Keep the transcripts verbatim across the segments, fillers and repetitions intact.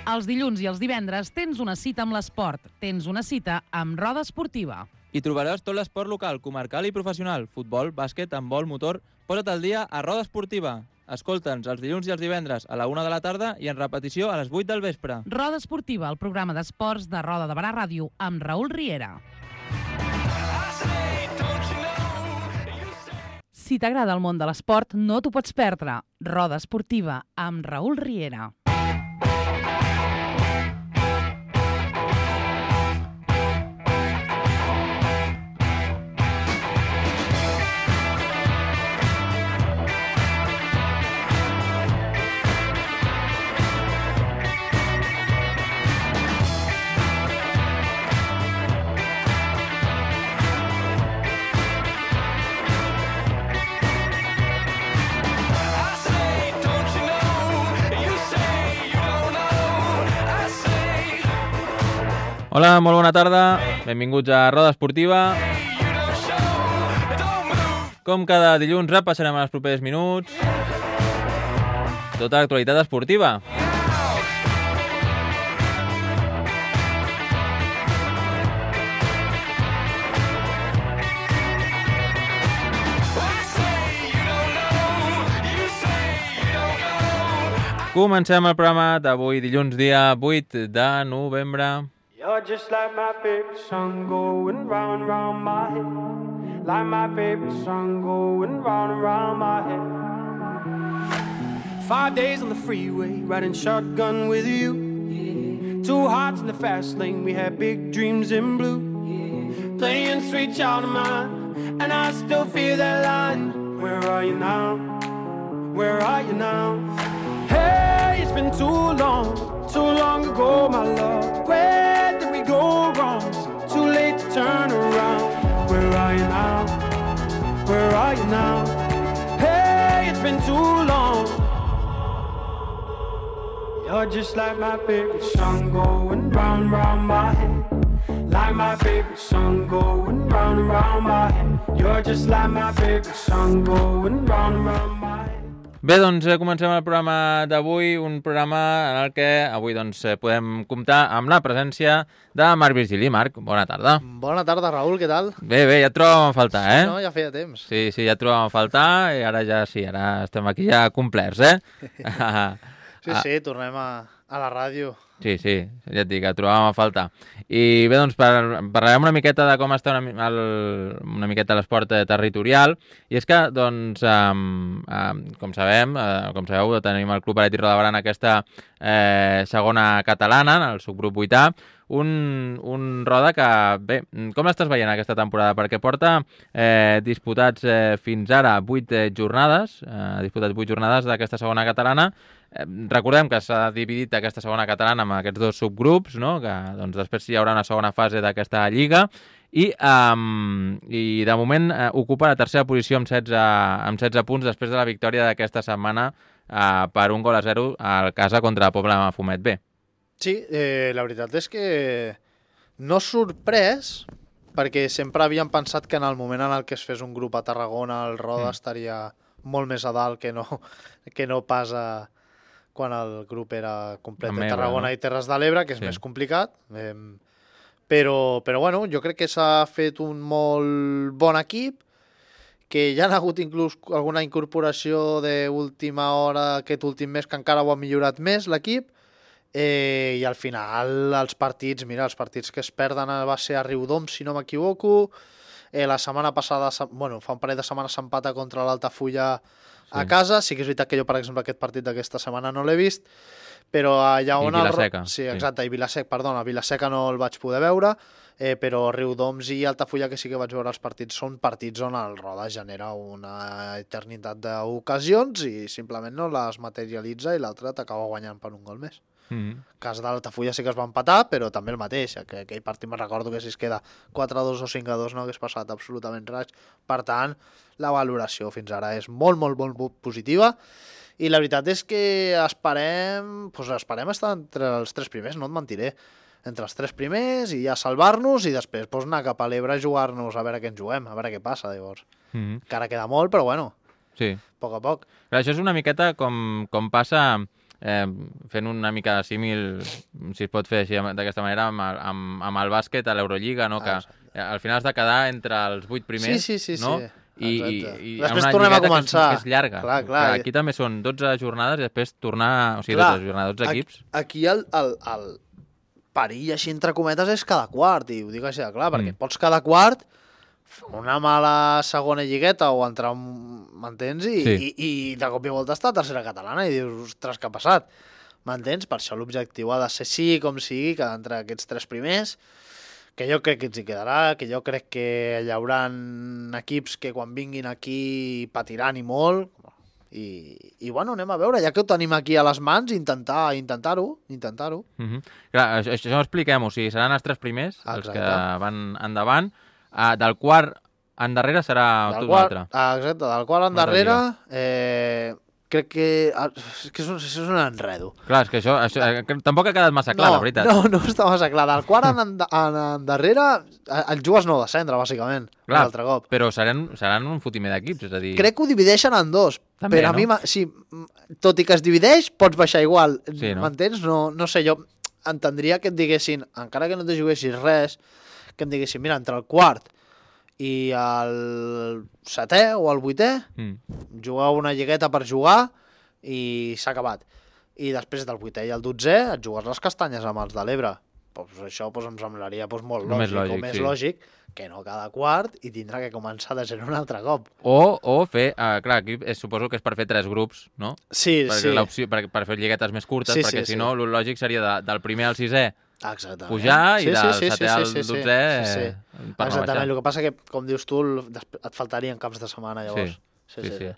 Els dilluns i els divendres tens una cita amb l'esport. Tens una cita amb Roda Esportiva. Hi trobaràs tot l'esport local, comarcal i professional. Futbol, bàsquet, handbol, motor... Posa't al dia a Roda Esportiva. Escolta'ns els dilluns i els divendres a la una de la tarda i en repetició a les vuit del vespre. Roda Esportiva, el programa d'esports de Roda de Barà Ràdio, amb Raül Riera. Si t'agrada el món de l'esport, no t'ho pots perdre. Roda Esportiva, amb Raül Riera. Hola, molt bona tarda. Benvinguts a Roda Esportiva. Com cada dilluns repassarem en els propers minuts tota l'actualitat esportiva. Comencem el programa d'avui, dilluns, dia vuit de novembre. You're just like my favorite song going round and round my head. Like my favorite song going round and round my head. Five days on the freeway, riding shotgun with you. Yeah. Two hearts in the fast lane, we had big dreams in blue. Yeah. Playing sweet child of mine, and I still feel that line. Where are you now? Where are you now? Hey, it's been too long, too long ago, my love. Where did we go wrong? Too late to turn around. Where are you now? Where are you now? Hey, it's been too long. You're just like my favorite song going round, round my head. Like my favorite song going round and round my head. You're just like my favorite song going round and round my head. Bé, doncs comencem el programa d'avui, un programa en el que avui doncs, podem comptar amb la presència de Marc Virgili. Marc, bona tarda. Bona tarda, Raül, què tal? Bé, bé, ja et trobàvem a faltar, eh? Sí, no, ja feia temps. Sí, sí, ja et trobàvem a faltar i ara ja sí, ara estem aquí ja complerts, eh? Sí, sí, tornem a, a la ràdio. Sí, sí, ja et dic, et trobàvem a faltar. I bé, doncs par parlarem una miqueta de com està una, el, una miqueta l'esport territorial, i és que, doncs, um, um, com sabem, uh, com sabeu, tenim el Club Atlètic Roda Barà en aquesta eh, segona catalana, en el subgrup vuitè, un, un Roda que, bé, com l'estàs veient aquesta temporada? Perquè porta eh, disputats eh, fins ara vuit eh, jornades, eh, disputats vuit jornades d'aquesta segona catalana. Eh, recordem que s'ha dividit aquesta segona catalana amb aquests dos subgrups, no? Que doncs, després hi haurà una segona fase d'aquesta lliga i, um, i de moment eh, ocupa la tercera posició amb setze, amb setze punts després de la victòria d'aquesta setmana eh, per un gol a zero al casa contra el Pobla Mafumet B. Sí, eh, la veritat és que no sorprès, perquè sempre havíem pensat que en el moment en el que es fes un grup a Tarragona el Roda mm. estaria molt més a dalt que no, que no pas a, quan el grup era complet de Tarragona, no? I Terres de l'Ebre, que és sí. més complicat. Eh, però, però bueno, jo crec que s'ha fet un molt bon equip, que ja ha hagut inclús alguna incorporació d'última hora aquest últim mes que encara ho ha millorat més l'equip. Eh, i al final els partits, mira, els partits que es perden va ser a Riudoms, si no m'equivoco. Eh, la setmana passada, bueno, fa un parell de setmanes s'empata contra l'Altafulla sí. a casa. Sí que és veritat que jo, per exemple, aquest partit d'aquesta setmana no l'he vist, però allà on... I Vilaseca. El... Sí, exacte, sí. I Vilaseca, perdona, Vilaseca no el vaig poder veure, eh, però Riudoms i Altafulla, que sí que vaig veure els partits, són partits on el Roda genera una eternitat d'ocasions i simplement no les materialitza i l'altre t'acaba guanyant per un gol més. Mm-hmm. Cas d'Altafulla sí que es va empatar, però també el mateix, que aquell partit me'n recordo que si es queda quatre a dos o cinc a dos no hagués passat absolutament res. Per tant, la valoració fins ara és molt, molt, molt positiva i la veritat és que esperem, doncs esperem estar entre els tres primers, no et mentiré, entre els tres primers i ja salvar-nos i després doncs, anar cap a l'Ebre a jugar-nos a veure què ens juguem, a veure què passa llavors. Mm-hmm. Encara queda molt, però bueno, sí. a poc a poc. Clar, això és una miqueta com, com passa eh, fent una mica símil, si es pot fer així d'aquesta manera, amb el, amb, amb el bàsquet a l'Eurolliga, no? Que Ah, al final has de quedar entre els vuit primers, sí, sí, sí, no? sí. I, i, i després una tornem a lligueta començar. Que és, que és llarga. Clar, clar. Aquí també són dotze jornades i després tornar... O sigui, Clar, dotze jornades, dotze aquí, equips. Aquí el, el, el perill, així entre cometes, és cada quart, i ho dic així de clar, perquè Mm. pots cada quart fer una mala segona lligueta o entrar, m'entens? I, Sí. i, i de cop i volta està a tercera catalana i dius, ostres, què ha passat? M'entens? Per això l'objectiu ha de ser sí com sigui, que entre aquests tres primers, que jo crec que ens hi quedarà, que jo crec que hi haurà equips que quan vinguin aquí patiran i molt, i, i bueno, anem a veure, ja que ho tenim aquí a les mans, intentar intentar-ho, intentar-ho. Uh -huh. Clar, això, això ho expliquem, o sigui, seran els tres primers, els Exacte. que van endavant. Uh, del quart endarrere serà Del tot un qual, altre. ah, exacte, del qual Una altra endarrere, eh, crec que... ah, És que és un, és un enredo. Clar, és que això, això eh, que tampoc ha quedat massa clar, no, la veritat. No, no està massa clar. Del quart en, en, en endarrere, el jugues no descendre, bàsicament, un Clar, altre cop. però seran, seran un fotimer d'equips, és a dir... Crec que ho divideixen en dos, També, però a no? mi, m'ha- sí, tot i que es divideix, pots baixar igual. Sí, no? M'entens? No, no sé, jo entendria que et diguessin, encara que no te juguessis res, que em diguessin, mira, entre el quart i el setè o el vuitè, Mm. jugar una lligueta per jugar i s'ha acabat. I després del vuitè i el dotzè et jugues les castanyes amb els de l'Ebre. Pues això pues, em semblaria pues, molt No més lògic, lògic, o més sí. lògic que no cada quart i tindrà que començar de zero un altre cop. O, o fer... Uh, clar, aquí és, suposo que és per fer tres grups, no? Sí, Perquè sí. l'opció- per, per fer lliguetes més curtes, Sí, perquè sí, si sí. no, el lògic seria de, del primer al sisè Exactament. pujar i Sí, sí, del sí, sí, setè sí, al sí, sí. dotzè Sí, sí. eh, per no Exactament, baixar. el que passa que, com dius tu, el- després et faltarien caps de setmana, llavors. Sí, sí, sí.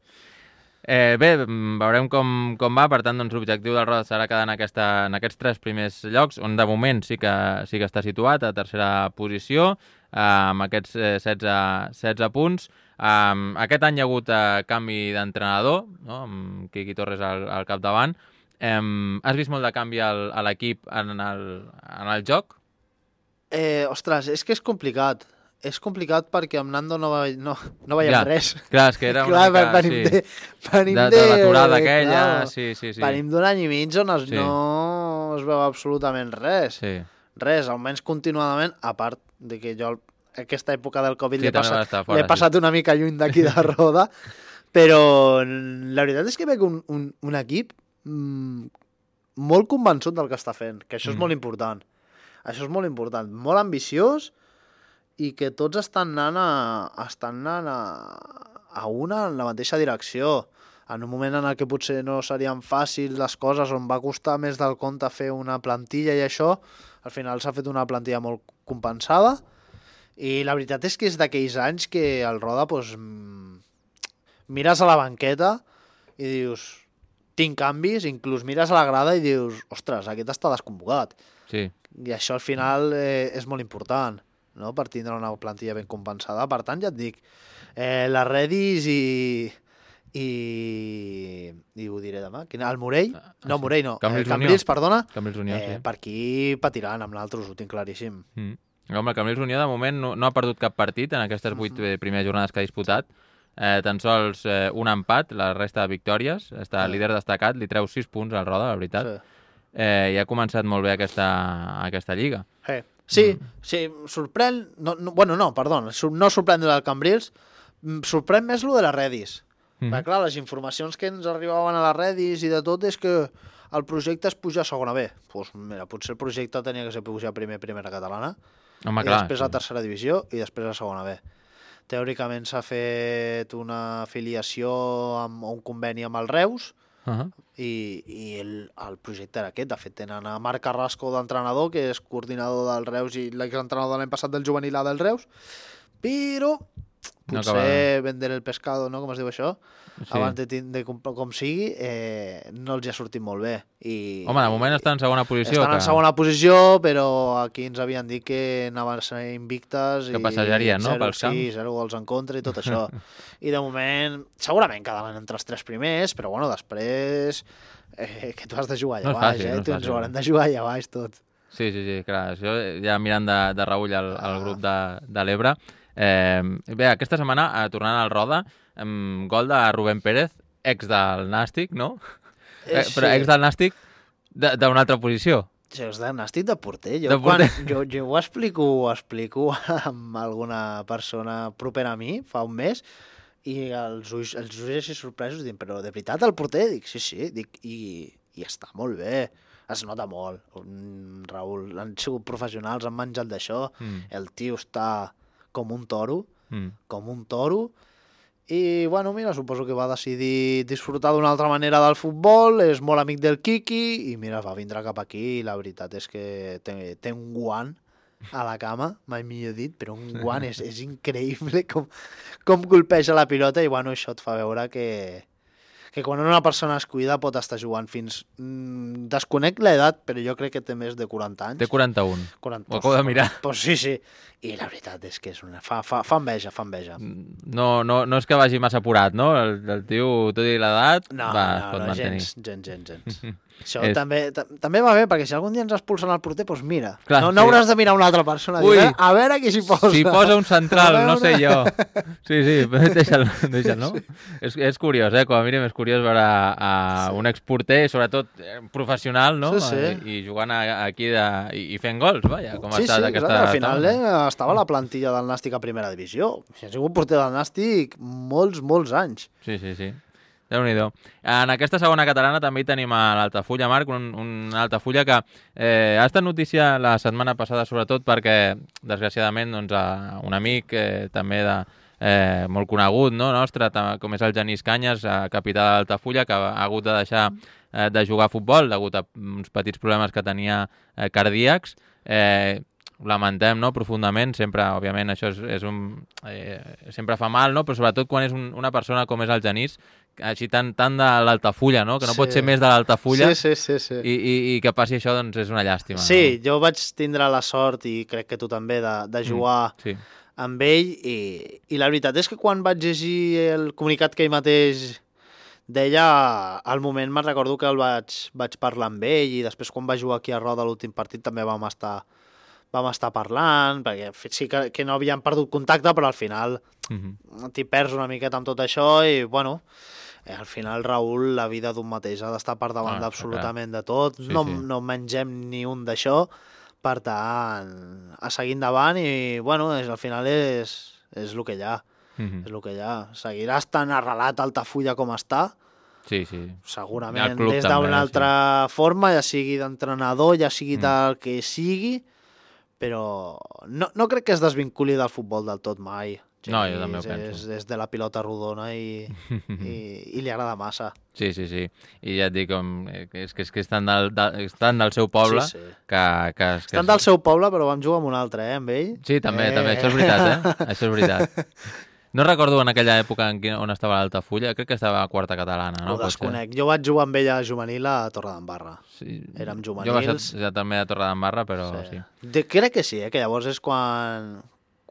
Eh, bé, mm, veurem com, com va, per tant, doncs, l'objectiu del Roda serà quedar en, aquesta, en aquests tres primers llocs, on de moment sí que, sí que està situat a tercera posició, eh, amb aquests eh, setze, setze punts. Um, aquest any hi ha hagut eh, canvi d'entrenador, no? Amb Quiqui Torres al, al capdavant. Um, has vist molt de canvi al, a l'equip en, el, en el joc? Eh, ostres, és que és complicat. És complicat perquè amb Nando no, ve, no, no veiem Ja. res. Clar, és que era una Clar, mica... venim sí. de, venim de, de, de l'aturada aquella, clar, sí, sí, sí. Venim d'un any i mig on es, Sí. no es veu absolutament res. sí. Res, almenys continuadament, a part de que jo aquesta època del Covid Sí, l'he també va passat, estar fora, l'he passat una mica lluny d'aquí de Roda, però la veritat és que veig un, un, un equip mm, molt convençut del que està fent, que això és Mm. molt important. Això és molt important, molt ambiciós i que tots estan anant a, estan anant a, a una en la mateixa direcció. En un moment en el que potser no serien fàcils les coses, on va costar més del compte fer una plantilla i això, al final s'ha fet una plantilla molt compensada i la veritat és que és d'aquells anys que el Roda doncs, mm, mires a la banqueta i dius, tinc canvis, inclús mires a la grada i dius, ostres, aquest està desconvocat. Sí. I això al final eh, és molt important, no?, per tindre una plantilla ben compensada. Per tant, ja et dic, eh, la Redis i, i, i ho diré demà, quin, el Morell, Ah, no, sí. Morell no, Cambrils el Cambrils, Unió. perdona, Cambrils Unió, eh, sí. per aquí patiran amb l'altres, ho tinc claríssim. Mm. Home, el Cambrils Unió de moment no, no ha perdut cap partit en aquestes vuit Mhm. eh, primeres jornades que ha disputat. Eh, tan sols eh, un empat, la resta de victòries. Està Sí. líder destacat, li treu sis punts al Roda, la veritat. Sí. Eh, I ha començat molt bé aquesta, aquesta lliga. Eh. Sí, Mm. sí, sorprèn... No, no, bueno, no, perdó, sur- no sorprèn del Cambrils, mm, sorprèn més lo de la Redis. Mm. Perquè, clar, les informacions que ens arribaven a la Redis i de tot és que el projecte és pujar a segona B. Doncs mira, potser el projecte tenia que ser pujar primer a primera catalana, Home, i clar, després sí. a tercera divisió i després a segona B. Teòricament s'ha fet una afiliació amb un conveni amb el Reus Uh -huh. i, i el, el projecte era aquest. De fet, tenen a Marc Carrasco d'entrenador, que és coordinador del Reus i l'exentrenador de l'any passat del juvenil A del Reus, però No potser acaba- vender el pescado, no?, com es diu això, Sí. abans de, tin- de com, com sigui, eh, no els hi ha sortit molt bé. I, Home, de moment està en segona posició. estan que... en segona posició, però aquí ens havien dit que anaven a ser invictes Que i passejarien, no?, zero, pels sí, camps. zero gols en contra i tot això. I de moment, segurament quedaran entre els tres primers, però bueno, després eh, que tu has de jugar allà No és baix, fàcil, eh? no és tu ens fàcil. haurem de jugar allà baix tot. Sí, sí, sí, clar. Això ja mirant de, de reull al, al Ah. grup de, de l'Ebre. Eh, bé, aquesta setmana, eh, tornant al Roda, eh, gol de Rubén Pérez, ex del Nàstic, no? Eh, però ex del Nàstic d'una altra posició. Jo és de Nàstic de porter. Jo, De porter. Quan, jo, jo ho explico, ho explico amb alguna persona propera a mi fa un mes i els ulls, els ulls així sorpresos diuen, però de veritat el porter? Dic, sí, sí, dic, i, i està molt bé. Es nota molt. Un, Raül, han sigut professionals, han menjat d'això. Mm. El tio està com un toro, Mm. com un toro. I, bueno, mira, suposo que va decidir disfrutar d'una altra manera del futbol, és molt amic del Quiqui, i mira, va vindre cap aquí, i la veritat és que té, té un guant a la cama, mai millor dit, però un guant és, és increïble com, com colpeja la pilota, i, bueno, això et fa veure que, que quan una persona es cuida pot estar jugant fins... Mm, desconec l'edat, però jo crec que té més de quaranta anys. Té quaranta-un. quaranta, Ho acabo de mirar. Pues sí, sí. I la veritat és que és una... fa, fa, fa enveja, fa enveja. No, no, no és que vagi massa apurat, no? El, el tio, tot i l'edat, No, va, es no, pot no, mantenir. gens, gens, gens, gens. Això És- també, ta- també va bé, perquè si algun dia ens expulsen al porter, doncs mira, Clar, no, no sí. hauràs de mirar una altra persona. Ui. Dir, a veure qui s'hi posa. Si posa un central, A no sé veure. jo. Sí, sí, deixa'l, deixa'l, no? És, és curiós, eh? Com a mínim és curiós veure a Sí. un exporter, sobretot eh, professional, no? Sí, sí. I, i jugant a, aquí de, i, i fent gols, vaja, com Sí, ha estat sí, aquesta... exacte. Al final eh, etapa. estava a la plantilla del Nàstic a primera divisió. Si ha sigut porter del Nàstic molts, molts anys. Sí, sí, sí. Déu-n'hi-do. En aquesta segona catalana també hi tenim a l'Altafulla, Marc, un, un Altafulla que eh, ha estat notícia la setmana passada, sobretot perquè, desgraciadament, doncs, a un amic eh, també de, eh, molt conegut, no, nostre, ta- com és el Genís Canyes, eh, capità de l'Altafulla, que ha hagut de deixar eh, de jugar a futbol degut a uns petits problemes que tenia eh, cardíacs. Eh, ho lamentem, no?, profundament, sempre, òbviament, això és, és un... Eh, sempre fa mal, no?, però sobretot quan és un, una persona com és el Genís, així tan, tan de l'Altafulla, no?, que no Sí. pot ser més de l'Altafulla, Sí, sí, sí. sí. i, i, i que passi això, doncs, és una llàstima. Sí, jo vaig tindre la sort, i crec que tu també, de, de jugar no? Sí. amb ell, i, i la veritat és que quan vaig llegir el comunicat que ell mateix deia, al moment me'n recordo que el vaig, vaig parlar amb ell, i després quan va jugar aquí a Roda l'últim partit també vam estar, vam estar parlant, perquè sí que, que no havíem perdut contacte, però al final Mhm. t'hi perds una miqueta amb tot això, i bueno, eh, al final, Raül, la vida d'un mateix ha d'estar per davant Ah, d'absolutament de tot, Sí, no, sí. no mengem ni un d'això, per tant, a seguir endavant, i bueno, és, al final és, és el que hi ha, Mhm. és el que hi ha. Seguirà estant arrelat a Altafulla com està, Sí, sí. segurament El club des també, d'una sí. altra forma, ja sigui d'entrenador, ja sigui Mm. del que sigui, però no, no crec que es desvinculi del futbol del tot mai. No, jo també ho és, penso. És, és de la pilota rodona i, i, i li agrada massa. Sí, sí, sí. I ja et dic, com, eh, que és que, és que estan, del, de, estan del seu poble, Sí, sí. que, que, que... Estan del seu poble, però vam jugar amb un altre, eh, amb ell. Sí, també, Eh. també, això és veritat, eh? Això és veritat. No recordo en aquella època en quina, on estava l'Altafulla, crec que estava a quarta catalana, no? No, ho Pot ser? desconec. Jo vaig jugar amb ell a juvenil a Torredembarra. Sí. Érem Jo vaig juvenils. ser ja també a Torredembarra, però sí. De, crec que sí, eh, que llavors és quan,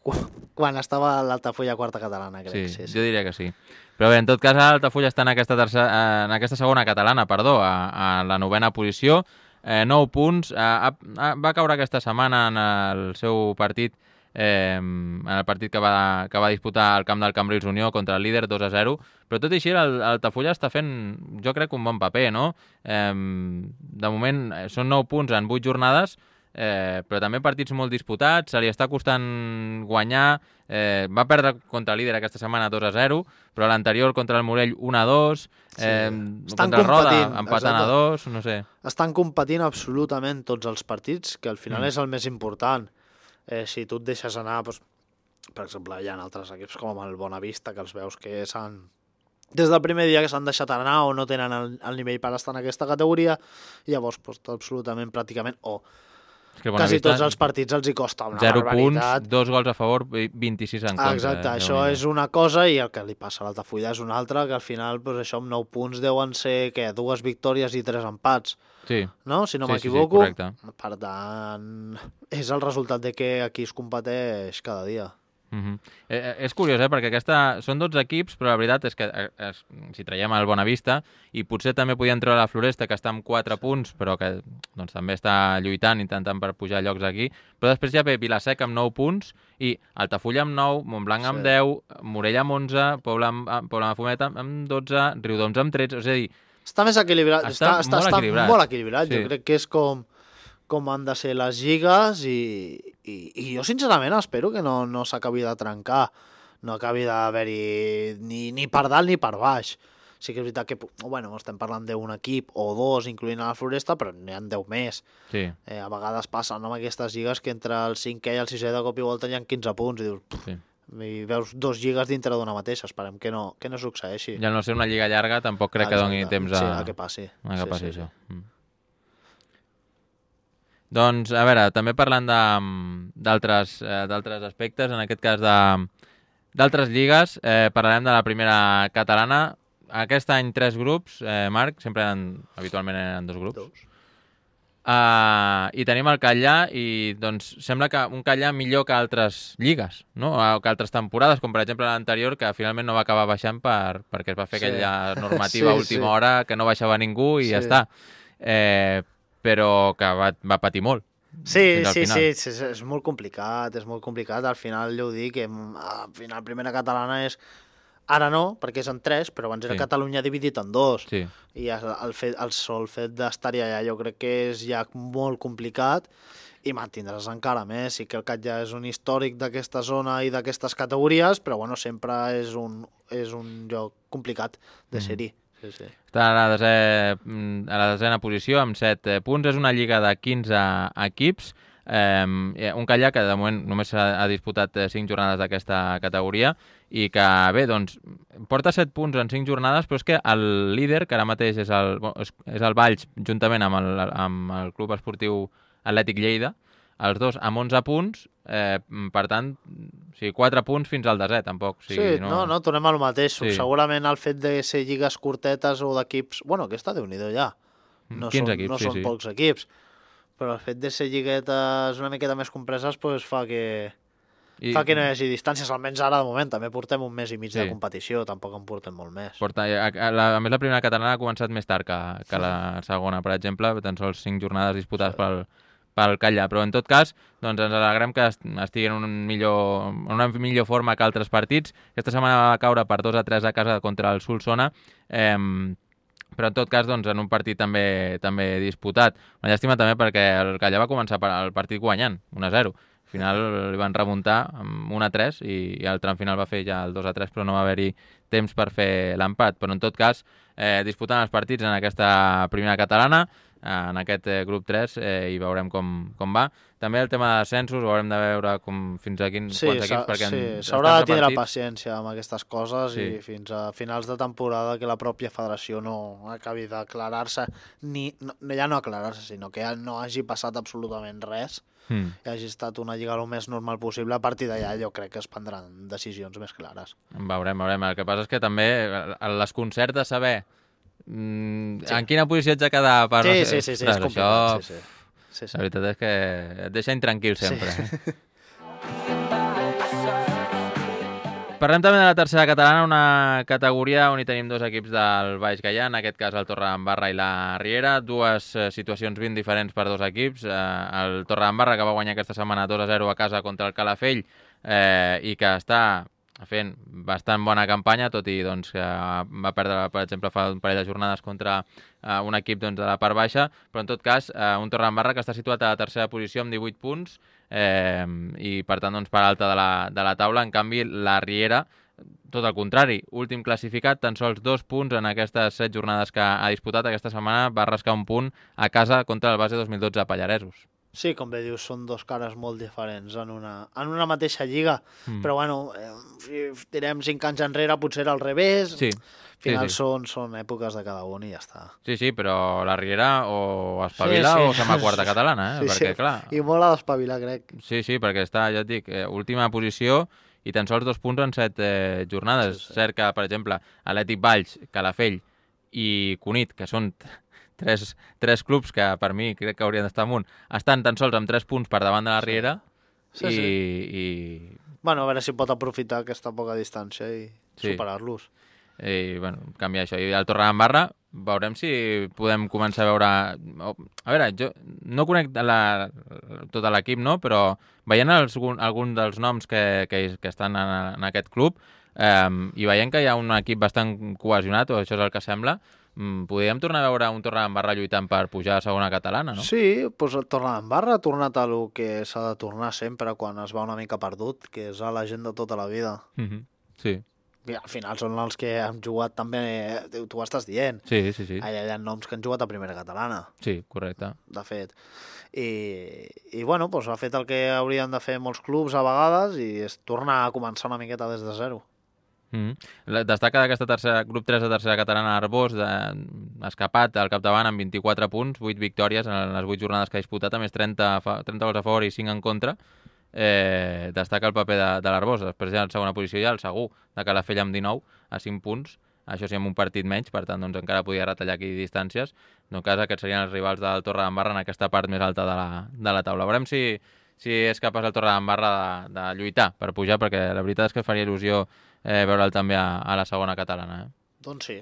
quan, quan estava a l'Altafulla quarta catalana, crec. Sí, Sí, sí. jo diria que sí. Però bé, en tot cas, l'Altafulla està en aquesta, tercera, en aquesta segona catalana, perdó, a, a la novena posició, eh, nou punts. Eh, ha, ha, va caure aquesta setmana en el seu partit, eh, en el partit que va, que va disputar al camp del Cambrils Unió contra el líder dos a zero, però tot i així el- l'Altafulla està fent, jo crec, un bon paper, no? Eh, de moment eh, són nou punts en vuit jornades, eh, però també partits molt disputats, se li està costant guanyar, eh, va perdre contra el líder aquesta setmana dos a zero, però l'anterior contra el Morell un a dos, eh, Estan contra el Roda competint, empatant a exacte. dos, no sé. Estan competint absolutament tots els partits, que al final Mm. és el més important. Eh, si tu et deixes anar, doncs, per exemple, hi ha altres equips com el Bonavista, que els veus que s'han... Des del primer dia que s'han deixat anar o no tenen el, el nivell per estar en aquesta categoria, i llavors doncs, absolutament, pràcticament, o És que quasi Bonavista, tots els partits els hi costa una zero barbaritat. punts, dos gols a favor, vint-i-sis en contra. Exacte, eh, això Déu-n'hi-do. és una cosa, i el que li passa a l'Altafulla és una altra, que al final, doncs, això amb nou punts deuen ser, què, dues victòries i tres empats, Sí, no? Si no Sí, sí, sí, m'equivoco. correcte. Per tant, és el resultat de que aquí es competeix cada dia. Uh-huh. eh, eh, és curiós, eh? Perquè aquesta... són dotze equips, però la veritat és que eh, es... si traiem el Bonavista, i potser també podien treure la Floresta, que està amb quatre punts, però que doncs, també està lluitant, intentant per pujar llocs aquí, però després ja ve Vilaseca amb nou punts, i Altafulla amb nou, Montblanc amb Sí. deu, Morella amb onze, Pobla amb, amb- Pobla de Mafumet amb- amb dotze, Riudoms amb tretze, és a dir, Està més equilibrat. Està, Està, està, molt, està equilibrat. molt equilibrat. Sí. Jo crec que és com, com han de ser les lligues i, i, i jo sincerament espero que no, no s'acabi de trencar. No acabi d'haver-hi ni, ni per dalt ni per baix. Sí que és veritat que, bueno, estem parlant d'un equip o dos, incloent a la Floresta, però n'hi ha deu més. Sí. Eh, a vegades passen amb aquestes lligues que entre el cinquè i el sisè de cop i volta hi ha quinze punts i dius, puf, Sí. i veus dos lligues dintre d'una mateixa. Esperem que no, que no succeeixi. I al no ser una lliga llarga tampoc crec que doni Exacte. temps a, Sí, a que passi. a que Sí, passi sí, això. Mm. Doncs, a veure, també parlant de- d'altres eh, d'altres aspectes, en aquest cas de d'altres lligues, eh, parlarem de la primera catalana. Aquest any tres grups, eh, Marc, sempre eren, habitualment eren dos grups. Dos. Uh, I tenim el Catllà i doncs sembla que un Catllà millor que altres lligues, no? O que altres temporades, com per exemple l'anterior, que finalment no va acabar baixant per, perquè es va fer Sí. aquella normativa Sí, a última sí. hora que no baixava ningú i Sí. ja està. Eh, però que va, va patir molt. Sí, fins al sí, final. sí, sí, és, és molt complicat, és molt complicat. Al final, jo ho dic, que mm, al final primera catalana és... Ara no, perquè és en tres, però abans era Sí. Catalunya dividit en dos. Sí. I el, el, fet, el sol fet d'estar-hi allà jo crec que és ja molt complicat i mantindràs encara més. Sí que el Cat ja és un històric d'aquesta zona i d'aquestes categories, però bueno, sempre és un, és un lloc complicat de Mm. ser-hi. Sí, sí. Està a la, desè, a la desena posició amb set punts. És una lliga de quinze equips. Eh, un Catllà que de moment només ha, ha disputat cinc jornades d'aquesta categoria i que, bé, doncs, porta set punts en cinc jornades, però és que el líder, que ara mateix és el, és, és el Valls, juntament amb el, amb el Club Esportiu Atlètic Lleida, els dos amb onze punts, eh, per tant, o sigui, quatre punts fins al desè, tampoc. O sigui, Sí, no, no, tornem al mateix. Sí. Segurament el fet de ser lligues curtetes o d'equips... Bueno, aquesta déu-n'hi-do ja. No quinze són, equips, no sí, són sí. pocs equips. Però el fet de ser lliguetes una miqueta més compreses pues, fa que... I, Fa que no hi hagi distàncies, almenys ara de moment. També portem un mes i mig Sí. de competició, tampoc en portem molt més. Porta, a, a, la, a més, la primera catalana ha començat més tard que, que la segona, per exemple, tan sols cinc jornades disputades Sí. pel, pel Catllà. Però, en tot cas, doncs ens alegrem que est- estigui en, un millor, en una millor forma que altres partits. Aquesta setmana va caure per dos a tres a casa contra el Solsona, eh, però en tot cas doncs, en un partit també també disputat. Una llàstima també perquè el Catllà va començar per- el partit guanyant, un a zero. Al final li van remuntar amb un a tres i, i el tram final va fer ja el dos a tres, però no va haver-hi temps per fer l'empat. Però en tot cas, eh, disputant els partits en aquesta primera catalana, en aquest eh, grup tres, eh, i veurem com, com va. També el tema de descensos, haurem de veure com, fins a quins Sí, quants s'ha- equips, perquè sí, en- s'haurà de estan tindre repartits. paciència amb aquestes coses Sí. i fins a finals de temporada que la pròpia federació no acabi d'aclarar-se, ni no, ja no aclarar-se, sinó que ja no hagi passat absolutament res, Mm. que hagi estat una lliga el més normal possible. A partir d'allà jo crec que es prendran decisions més clares. Veurem, veurem. El que passa és que també el desconcert de saber mm, Sí. en quina posició ets de quedar per... Sí, sí, sí, sí, és Ostres, complicat. això, Sí, sí. Sí, sí. la veritat és que et deixa intranquil sempre. Sí. Parlem també de la tercera catalana, una categoria on hi tenim dos equips del Baix Gaià, en aquest cas el Torredembarra i la Riera, dues eh, situacions ben diferents per dos equips. Eh, el Torredembarra, que va guanyar aquesta setmana dos a zero a casa contra el Calafell eh, i que està fent bastant bona campanya, tot i doncs, que va perdre, per exemple, fa un parell de jornades contra eh, un equip doncs, de la part baixa, però en tot cas eh, un Torredembarra que està situat a la tercera posició amb divuit punts, eh, i per tant doncs, per alta de la, de la taula. En canvi la Riera, tot el contrari, últim classificat, tan sols dos punts en aquestes set jornades que ha disputat aquesta setmana, va rascar un punt a casa contra el base dos mil dotze a Pallaresos. Sí, com bé dius, són dos cares molt diferents en una, en una mateixa lliga, Mm. però bueno, eh, si tirem cinc anys enrere potser era al revés, Sí, al final sí, sí. Són, són èpoques de cada un i ja està. sí, sí, però la Riera o espavila Sí, sí. o se'n va a quarta catalana, eh? Sí, perquè sí. clar... I molt a d'espavilar, crec. Sí, sí, perquè està, ja et dic, eh, última posició i tan sols dos punts en set eh, jornades. Sí, sí. Cert que, per exemple, Atlètic Valls, Calafell i Cunit, que són tres, tres clubs que per mi crec que haurien d'estar amunt, estan tan sols amb tres punts per davant de la Riera Sí, i, sí. i, Bueno, a veure si pot aprofitar aquesta poca distància i Sí. superar-los. i bueno, canviar això. I el Torredembarra, veurem si podem començar a veure... o- A veure, jo no conec la, tot l'equip, no? Però veient els, algun, algun dels noms que, que, que estan en, en aquest club eh, i veient que hi ha un equip bastant cohesionat, o això és el que sembla, mm, podríem tornar a veure un Torredembarra lluitant per pujar a segona catalana, no? Sí, doncs el Torredembarra ha tornat a lo que s'ha de tornar sempre quan es va una mica perdut, que és a la gent de tota la vida. Mm-hmm. Sí. I al final són els que han jugat també, tu ho estàs dient. Sí, sí, sí. Allà hi ha noms que han jugat a primera catalana. Sí, correcte. De fet. I, i bueno, doncs ha fet el que haurien de fer molts clubs a vegades i és tornar a començar una miqueta des de zero. Mm-hmm. Destaca d'aquesta tercera, grup tres de tercera catalana Arbós, de, escapat al capdavant amb vint-i-quatre punts, vuit victòries en les vuit jornades que ha disputat, a més trenta, trenta gols a favor i cinc en contra. Eh, destaca el paper de, de l'Arbós. Després ja en segona posició ja el Segur de Calafell amb dinou a cinc punts, això sí amb un partit menys, per tant doncs, encara podia retallar aquí distàncies. En tot cas aquests serien els rivals del Torredembarra en aquesta part més alta de la, de la taula. Veurem si, si és capaç el Torredembarra de, de lluitar per pujar, perquè la veritat és que faria il·lusió eh, veure'l també a, a la segona catalana. Eh? Doncs sí.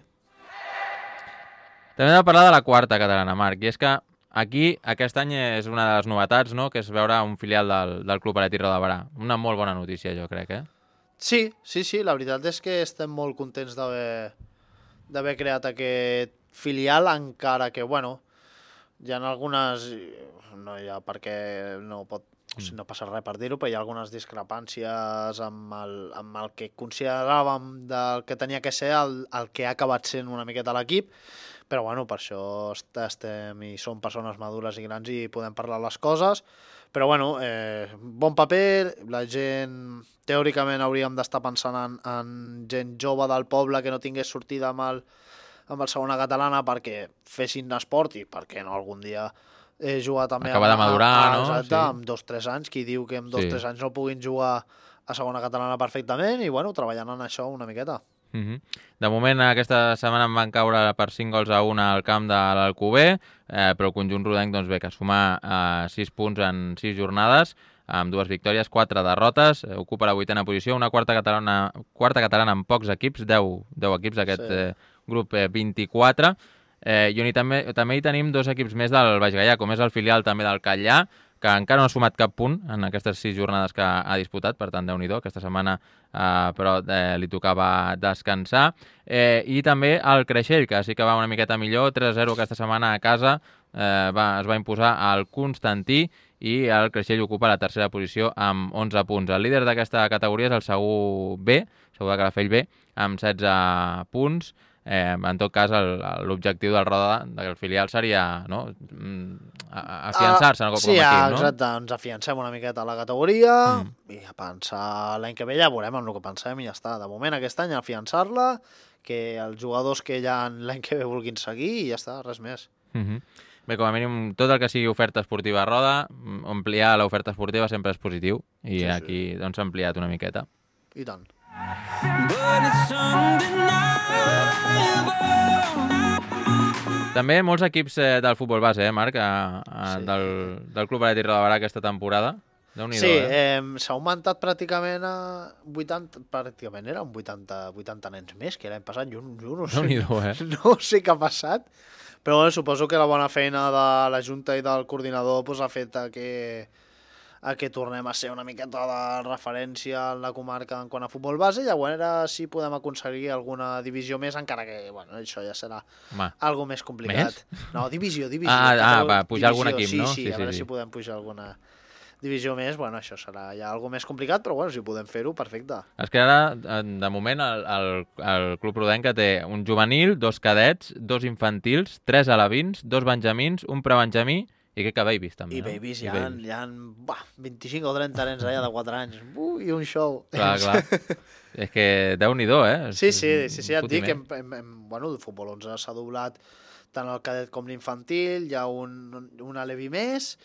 També hem de parlar de la quarta catalana, Marc, i és que aquí, aquest any és una de les novetats, no?, que és veure un filial del, del Club Atlètic Roda de Berà. Una molt bona notícia, jo crec, eh? Sí, sí, sí, la veritat és que estem molt contents d'haver d'haver creat aquest filial, encara que, bueno, hi ha algunes... No hi ha perquè no pot... O sigui, no passa res per dir-ho, però hi ha algunes discrepàncies amb el, amb el que consideràvem del que tenia que ser el, el que ha acabat sent una miqueta l'equip, però bueno, per això estem i som persones madures i grans i podem parlar les coses, però bueno, eh, bon paper, la gent teòricament hauríem d'estar pensant en, en gent jove del poble que no tingués sortida amb el, amb el segona catalana perquè fessin esport i perquè no algun dia eh, jugar també acaba de madurar, a, a, no? Exacte, Sí. amb dos o tres anys, qui diu que amb dos o Sí. tres anys no puguin jugar a segona catalana perfectament i bueno, treballant en això una miqueta. Mm-hmm. De moment, aquesta setmana en van caure per cinc gols a un al camp de l'Alcover, eh, però el conjunt rodenc doncs, bé, que suma eh, sis punts en sis jornades, amb dues victòries, quatre derrotes, eh, ocupa la vuitena posició, una quarta catalana, quarta catalana amb pocs equips, deu, deu equips d'aquest Sí. eh, grup eh, vint-i-quatre, eh, i on hi també, també hi tenim dos equips més del Baix Gaià, com és el filial també del Catllà, que encara no ha sumat cap punt en aquestes sis jornades que ha disputat, per tant, Déu-n'hi-do, aquesta setmana eh, però eh, li tocava descansar. Eh, I també el Creixell, que sí que va una miqueta millor, tres a zero aquesta setmana a casa, eh, va, es va imposar al Constantí i el Creixell ocupa la tercera posició amb onze punts. El líder d'aquesta categoria és el Segur B, Segur de Calafell B, amb setze punts. Eh, en tot cas, l'objectiu del Roda, del filial, seria no, afiançar-se uh, com a sí, equip, no? Sí, exacte, ens afiancem una miqueta a la categoria mm. i a pensar l'any que ve ja veurem amb el que pensem i ja està. De moment aquest any afiançar-la, que els jugadors que ja l'any que ve vulguin seguir i ja està, res més. Mm-hmm. Bé, com a mínim, tot el que sigui oferta esportiva a Roda, ampliar l'oferta esportiva sempre és positiu i sí, aquí sí. doncs s'ha ampliat una miqueta. I tant. També molts equips eh, del futbol base, eh, Marc, a, a, sí. del, del Club Atlètic Roda de Berà aquesta temporada. Déu-n'hi-do, sí, eh? eh, s'ha augmentat pràcticament a vuitanta, pràcticament eren vuitanta, vuitanta nens més que l'any passat, jo, jo no sé, eh? no sé què ha passat, però bueno, suposo que la bona feina de la Junta i del coordinador pues, ha fet que a que tornem a ser una miqueta de referència en la comarca en quant a futbol base i a veure si podem aconseguir alguna divisió més, encara que bueno, això ja serà Ma. algo més complicat. Més? No, divisió, divisió. Ah, ah va, pujar divisió, algun equip, sí, no? Sí, sí, a veure sí, si sí. podem pujar alguna divisió més, bueno, això serà ja algo més complicat, però bueno, si podem fer-ho, perfecte. És que ara, de moment, el, el, el Club Rodenca té un juvenil, dos cadets, dos infantils, tres alevins, dos benjamins, un prebenjamí, i crec que babies també, I no? babies, hi ha, hi ha bah, vint-i-cinc o trenta nens allà de quatre anys. Uh, I un show. Clar, clar. És que Déu-n'hi-do, eh? Sí, sí, sí, sí ja et dic que hem, hem, hem, bueno, el futbol onze s'ha doblat tant el cadet com l'infantil, hi ha un, un alevi més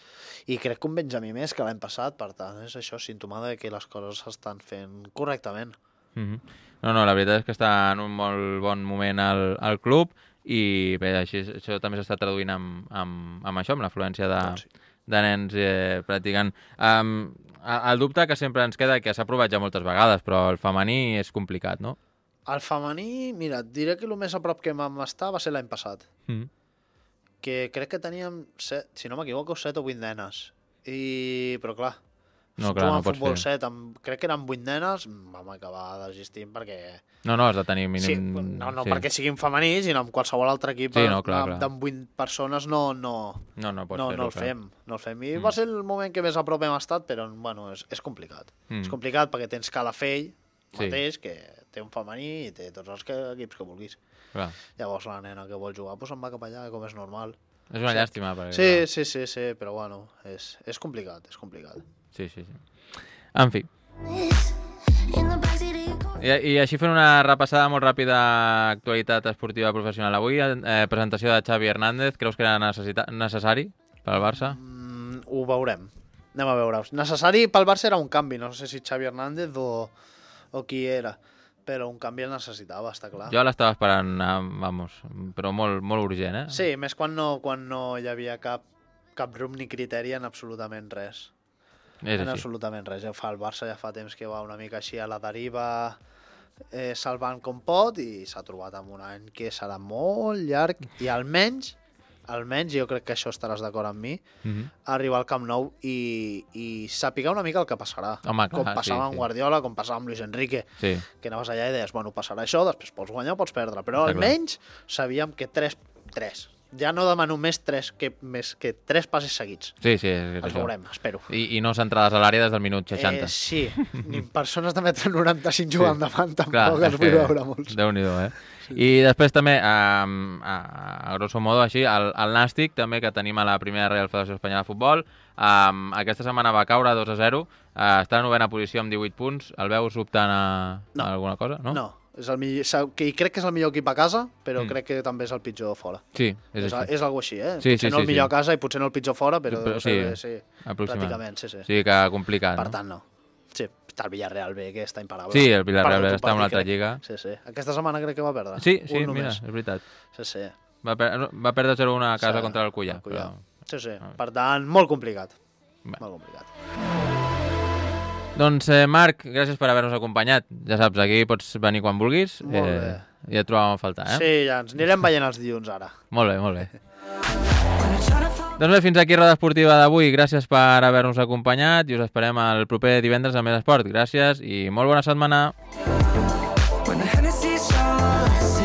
i crec que un benjamí més que l'any passat, per tant, és això símptoma de que les coses s'estan fent correctament. Mm-hmm. No, no, la veritat és que està en un molt bon moment al, al club i bé, així, això també s'està traduint amb, amb, amb això, amb l'afluència de, doncs sí. de nens eh, practicant. Um, el dubte que sempre ens queda, que s'ha provat ja moltes vegades, però el femení és complicat, no? El femení, mira, et diré que el més a prop que vam estar va ser l'any passat. Mm. Que crec que teníem, set, si no m'equivoco, set o vuit nenes. I, però clar, No, clar, no Jugant pots futbol fer. set, amb, crec que eren vuit nenes, vam acabar desistint perquè... No, no, has de tenir mínim... Sí, no, no sí. perquè siguin femenins, sinó amb qualsevol altre equip Sí, no, clar, clar. amb vuit persones no, no, No, no pots no, fer-ho, no el clar. fem. No el fem. I Mm. va ser el moment que més a prop hem estat, però bueno, és, és complicat. Mm. És complicat perquè tens Calafell Sí. mateix, que té un femení i té tots els que, equips que vulguis. Clar. Llavors la nena que vol jugar doncs se'n va cap allà, com és normal. És una Sí. llàstima. Perquè, Sí, clar. sí, sí, sí, però bueno, és, és complicat, és complicat. Sí, sí, sí. En fi. I, I així fent una repassada molt ràpida a actualitat esportiva professional avui, eh, presentació de Xavi Hernández, creus que era necessita necessari pel Barça? Mm, ho veurem. Anem a veure. Necessari pel Barça era un canvi, no sé si Xavi Hernández o, o qui era, però un canvi el necessitava, està clar. Jo l'estava esperant, eh, vamos, però molt, molt urgent, eh? Sí, més quan no, quan no hi havia cap, cap rumb ni criteri en absolutament res. És En així. absolutament res. Ja fa el Barça ja fa temps que va una mica així a la deriva, eh, salvant com pot, i s'ha trobat amb un any que serà molt llarg i almenys, almenys, jo crec que això estaràs d'acord amb mi, Mhm. arribar al Camp Nou i, i saber una mica el que passarà. Home, clar, com passava sí, amb sí. Guardiola, com passava amb Luis Enrique, Sí, que anaves allà i deies, bueno, passarà això, després pots guanyar o pots perdre, però Està almenys sabíem que tres, tres, ja no demano més tres que, més que tres passes seguits. sí, sí. És Els això. veurem, espero. I, I no centrades a l'àrea des del minut seixanta. Eh, sí, ni persones de metre noranta-cinc jugant davant tampoc Clar, els és vull que veure molts. Déu-n'hi-do, eh? I després també, a, a, a grosso modo, així, el, el Nàstic, també, que tenim a la primera Real Federació Espanyola de Futbol, um, aquesta setmana va caure dos a zero, uh, està en novena posició amb divuit punts, el veus optant a, No. a alguna cosa? No? No, és el millor, sa- que crec que és el millor equip a casa, però Mm. crec que també és el pitjor fora. Sí, és, És, així. és algo així, eh? Sí, potser sí, no sí, el millor sí. a casa i potser no el pitjor fora, però, Però però sí, sí, sí, aproximadament. pràcticament, sí, sí. Sí, que complicat, Per no? tant, no. Sí, està el Villarreal B, que està imparable. Sí, el Villarreal Perdut un està en una partit, altra crec. lliga. Sí, sí. Aquesta setmana crec que va perdre. Sí, sí, Un mira, només. és veritat. Sí, sí. Va, per, va perdre zero a una a casa Sí, contra el Cullà. el Cullà. Però... Sí, sí. Per tant, molt complicat. Bé. Molt complicat. Doncs, eh, Marc, gràcies per haver-nos acompanyat. Ja saps, aquí pots venir quan vulguis. Molt bé. Ja et trobàvem a faltar, eh? Sí, ja ens anirem veient els dilluns ara. Molt bé, molt bé. Doncs bé, fins aquí Roda Esportiva d'avui. Gràcies per haver-nos acompanyat i us esperem el proper divendres a Més Esport. Gràcies i molt bona setmana. When the Hennessy's all I see